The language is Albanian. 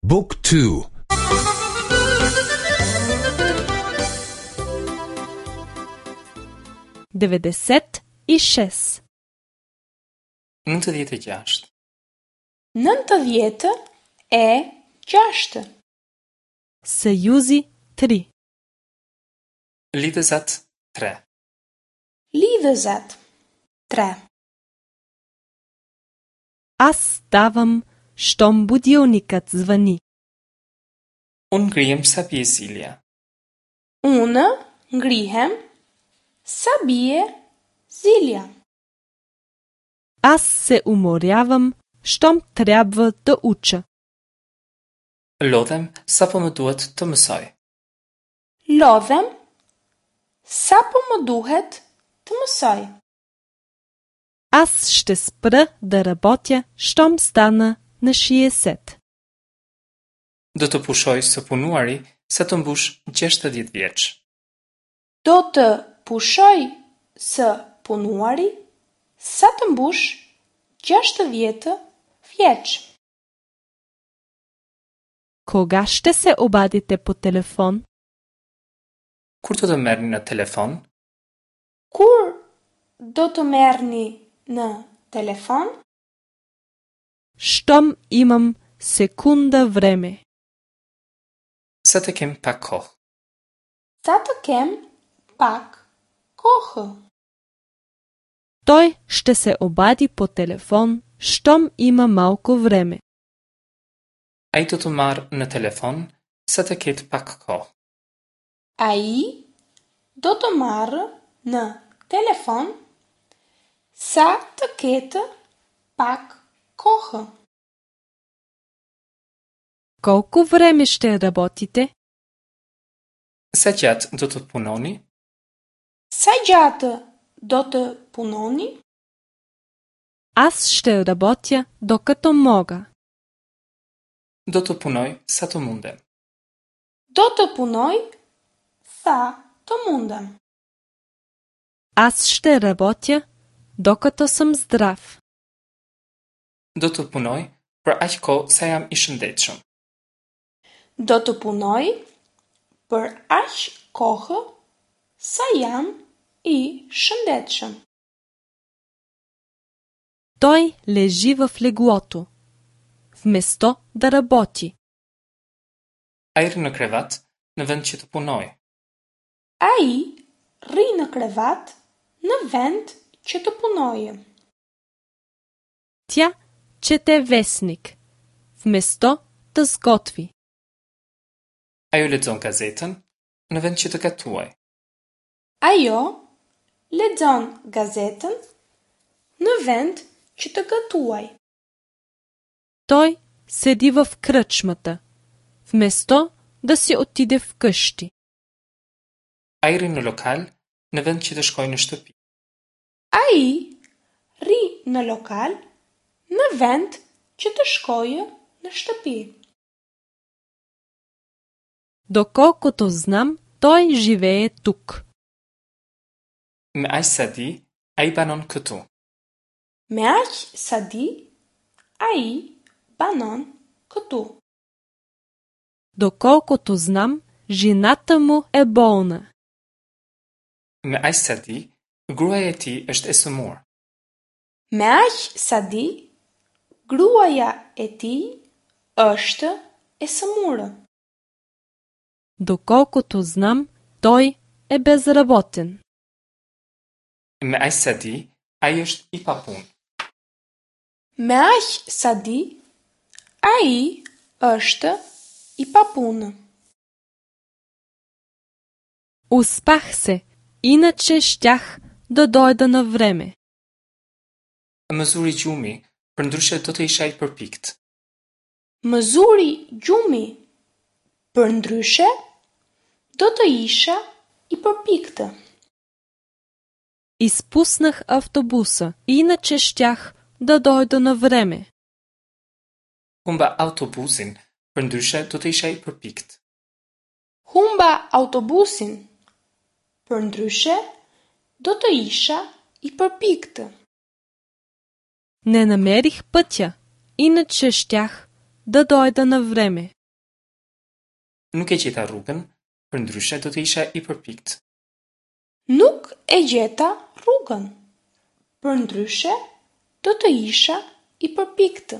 บุ๊กทู 96. 96. 96. Съюзи 3. Lidhëzat 3. Lidhëzat 3. Аз ставам, щом будилникът звъни. Unë ngrihem sa bie zilja. Unë ngrihem sa bie zilja. Аз се уморявам, щом трябва да уча. Lodhem sapo më duhet të mësoj. Lodhem sapo më duhet të mësoj. Аз ще спра да работя, щом стана на 60. Do të pushoj së punuari sa të mbush 60 vjeç. Do të pushoj së punuari sa të mbush 60 vjeç. Кога ще се обадите по телефон? Kur do të merrni në telefon? Kur do të merrni në telefon? Щом имам секунда време. Sa të kem pak kohë. Sa të kem pak kohë. Той ще се обади по телефон, щом има малко време. Ai do të marrë në telefon sa të ketë pak kohë. Ai do të marrë në telefon sa të ketë pak kohë. Колко време ще работите? Sa gjatë do të punoni? Sa gjatë do të punoni? Аз ще работя, докато мога. Do të punoj sa të mundem. Do të punoj sa të mundem. Аз ще работя, докато съм здрав. Do të punoj për aq kohë sa jam i shëndetshëm. Do të punoj për aq kohë sa jam i shëndetshëm. Той лежи в леглото, вместо да работи. Ai rri në krevat në vend që të punojë. Ai rri në krevat në vend që të punojë. Тя чете вестник, вместо да сготви. Ajo lexon gazetën në vend që të gatuajë. Ajo lexon gazetën në vend që të gatuaj. Той седи в кръчмата, вместо да си отиде вкъщи. Ai rri në lokal në vend që të shkojë në shtëpi. Ai rri në lokal në vend që të shkojë në shtëpi. Доколкото знам, той живее тук. Me aq sa di, ai banon këtu. Me aq sa di, ai banon këtu. Доколкото знам, жената му е болна. Me aq sa di, gruaja e tij është e sëmurë. Me aq sa di, gruaja e tij është e sëmurë. Доколкото знам, той е безработен. Me aq sa di, ai është i papunë. Me aq sa di, ai është i papunë. Успах се, иначе щях да дойда на време. Më zuri gjumi, përndryshe do të isha i përpikt. Më zuri gjumi, përndryshe do të isha i përpiktë. Изпуснах автобуса, иначе щях да дойда на време. Humba autobusin, përndryshe do të isha i përpikt. Humba autobusin, përndryshe do të isha i përpiktë. Не намерих пътя, иначе щях да дойда на време. Nuk e gjeta rrugën, përndryshe do të isha i përpiktë. Nuk e gjeta rrugën, përndryshe do të isha i përpiktë.